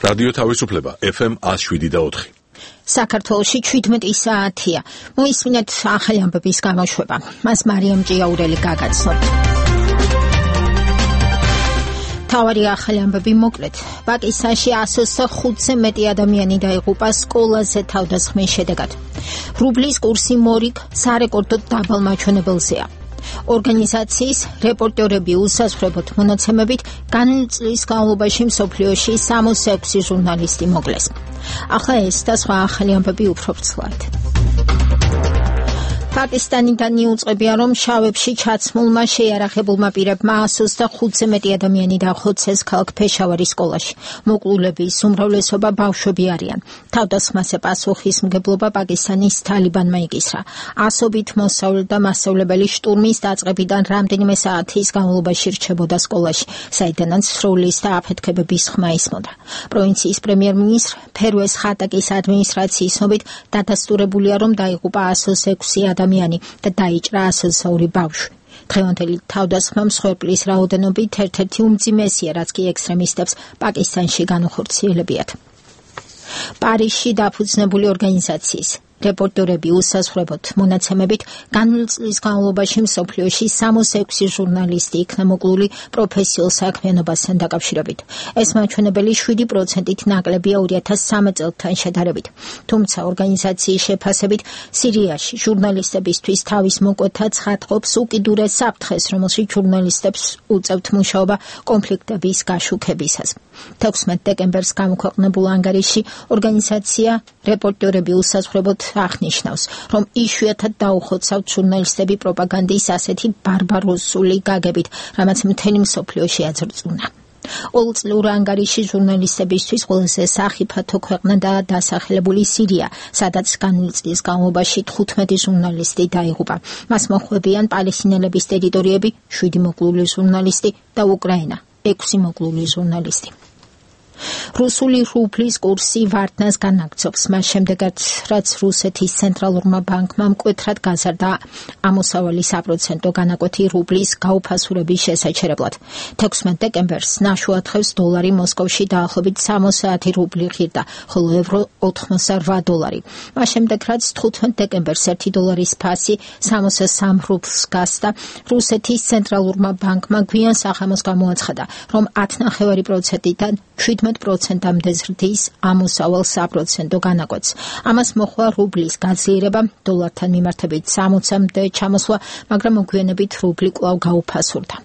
რადიო თავისუფლება FM 107.4. საქართველოში 17 საათია. მოისმინეთ ახალი ამბების გამოშვება. მას მარიამ ჭიაურელი გაგაცნოთ. თავარი ახალი ამბები მოკლედ. პაკისტანში 105-ზე მეტი ადამიანი დაიღუპა სკოლაზე თავდასხმის შედეგად. რუბლის კურსი მორიგ სარეკორდო დაბალ მაჩვენებელზეა. ორგანიზაციის რეპორტერები უსაზღვრებოდ მონაცემებით განვლილი წლის განმავლობაში მსოფლიოში 66 ჟურნალისტი მოკლეს. ახლა ეს და სხვა ახალი ამბები უფრო ვრცლად. პაკისტანიდან იუწყებია, რომ შავებში ჩაცმულმა შეიარაღებულმა პირებმა 125-ზე მეტი ადამიანი დახოცეს ქალაქ ფეშავარის სკოლაში. მოკლულების უმრავლესობა ბავშვები არიან. თავდასხმაზე პასუხისმგებლობა პაკისტანის თალიბანმა იკისრა. ასობით მოსწავლე და მასწავლებელი შტურმის დაწყებიდან რამდენიმე საათის განმავლობაში რჩებოდა სკოლაში, საიდანაც სროლის და აფეთქებების ხმა ისმოდა. პროვინციის პრემიერ-მინისტრ ფერვეს ხატაკის ადმინისტრაციის ცნობით დადასტურებულია, რომ დაიღუპა 106 ადამიანი და დაიჭრა 102 ბავშვი. დღევანდელი თავდასხმა მსხვერპლის რაოდენობით ერთ-ერთი უმძიმესია, რაც კი ექსტრემისტებს პაკისტანში განუხორციელებიათ. პარიზში დაფუძნებული ორგანიზაციის რეპორტერები უსაზღვრებოდ მონაცემებით განვლილი წლის განმავლობაში მსოფლიოში 66 ჟურნალისტი იქნა მოკლული პროფესიულ საქმიანობასთან დაკავშირებით. ეს მაჩვენებელი 7%-ით ნაკლებია 2013 წელთან შედარებით. თუმცა ორგანიზაციის შეფასებით სირიაში ჟურნალისტებისთვის თავის მოკვეთა ცხადყოფს უკიდურეს საფრთხეს, რომელშიც ჟურნალისტებს უწევთ მუშაობა კონფლიქტების გაშუქებისას. 16 დეკემბერს გამოქვეყნებულ ანგარიში ორგანიზაცია რეპორტერები უსაზღვრებოდ აღნიშნავს, რომ იშვიათად დაუხოცავთ ჟურნალისტები პროპაგანდის ასეთი ბარბაროსული გაგებით, რამაც მთელი მსოფლიოში აძრწუნა. ყოველწლიურ ანგარიში ჟურნალისტებისთვის ყველაზე სახიფათო ქვეყნა და დასახლებული სირია, სადაც განვლილი წლის განმავლობაში 15 ჟურნალისტი დაიღუპა. მას მოხვებიან პალესტინელების ტერიტორიები, 7 მოკლული ჟურნალისტი და უკრაინა, 6 მოკლული ჟურნალისტი. რუსული რუბლის კურსი ვარდნას განაგრძობს, მას შემდეგაც, რაც რუსეთის ცენტრალურმა ბანკმა მკვეთრად გაზარდა ამოსავალი საპროცენტო განაკვეთი რუბლის გაუფასურების შესაჩერებლად. 16 დეკემბერს ნაშუა დღეს დოლარი მოსკოვში დაახლოებით 60 რუბლი ღირდა, ხოლო ევრო 88 დოლარი. მას შემდეგ, რაც 15 დეკემბერს 1 დოლარის ფასი 63 რუბლს გასდა, რუსეთის ცენტრალურმა ბანკმა გვიან სახამოს გამოაცხადა, რომ 10.5%-დან 7%-მდე ზრდის ამოსავალ საპროცენტო განაკვეთს. ამას მოჰყვა რუბლის გაძლიერება, დოლართან მიმართებით 60-მდე ჩამოსვლა, მაგრამ მოგვიანებით რუბლი კვლავ გაუფასურდა.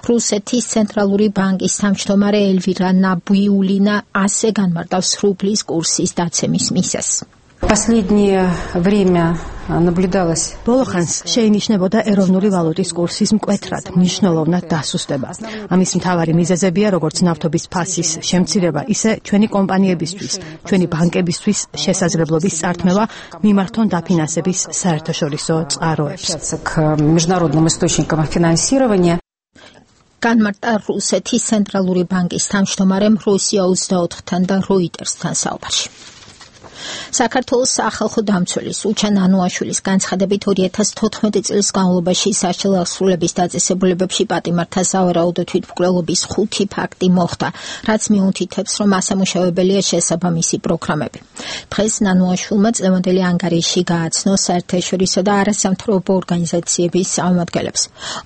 რუსეთის ცენტრალური ბანკის თავმჯდომარე ელვირა ნაბიულინა ასე განმარტავს რუბლის კურსის დაცემის მიზეზს. Последнее время наблюдалось. ბოლოხანს შეინიშნებოდა ეროვნული ვალუტის კურსის მკვეთრად მნიშვნელოვნად დასუსტება. ამის მთავარი მიზეზებია როგორც ნავთობის ფასის შემცირება, ისე ჩვენი კომპანიებისთვის, ჩვენი ბანკებისთვის შესაძლებლობის წართმევა მიმართონ დაფინანსების საერთაშორისო წყაროებს. К международным источникам финансирования. განმარტა რუსეთის ცენტრალური ბანკის თავმჯდომარემ რუსია 24-თან და როიტერსთან საუბარში. საქართველოს სახალხო დამცველის უჩან ანუაშვილის განცხადებით 2014 წლის განმავლობაში სასჯელო აღსრულების დაწესებულებებში პატიმართა სავარაუდო თვითმკვლელობის 5 ფაქტი მოხდა, რაც მიუთითებს, რომ ასამუშავებელია შესაბამისი პროგრამები. დღეს ანუაშვილმა წლევანდელი ანგარიში გააცნო საერთაშორისო და არასამთავრობო ორგანიზაციების წარმომადგენლებს.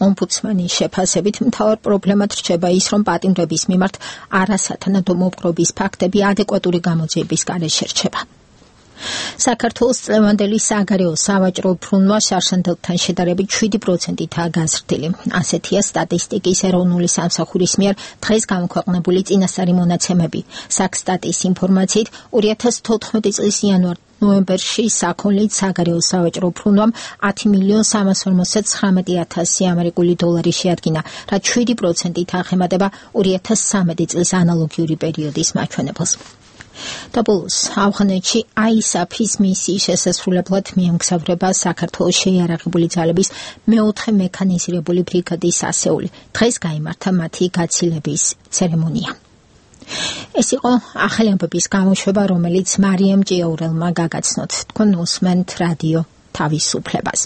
ომბუდსმენის შეფასებით მთავარ პრობლემად რჩება ის, რომ პატიმრების მიმართ არასათანადო მოპყრობის ფაქტები ადეკვატური გამოძიების გარეშე რჩება. საქართველოს წლევანდელი საგარეო სავაჭრო ბრუნვა შარშანდელთან შედარებით 7%-ითაა გაზრდილი. ასეთია სტატისტიკის ეროვნული სამსახურის მიერ დღეს გამოქვეყნებული წინასწარი მონაცემები. საქსტატის ინფორმაციით 2014 წლის იანვარ-ნოემბერში საქონლით საგარეო სავაჭრო ბრუნვამ 10.359.000 ამერიკული დოლარი შეადგინა, რაც 7%-ით აღემატება 2013 წლის ანალოგიური პერიოდის მაჩვენებელს. და ბოლოს ავღანეთში ISAF-ის მისიის შესასრულებლად მიემგზავრება საქართველოს შეიარაღებული ძალების მეოთხე მექანიზირებული ბრიგადის ასეული. დღეს გაიმართა მათი გაცილების ცერემონია. ეს იყო ახალი ამბების გამოშვება, რომელიც მარიამ ჭიაურელმა გაგაცნოთ. თქვენ უსმენთ რადიო თავისუფლებას.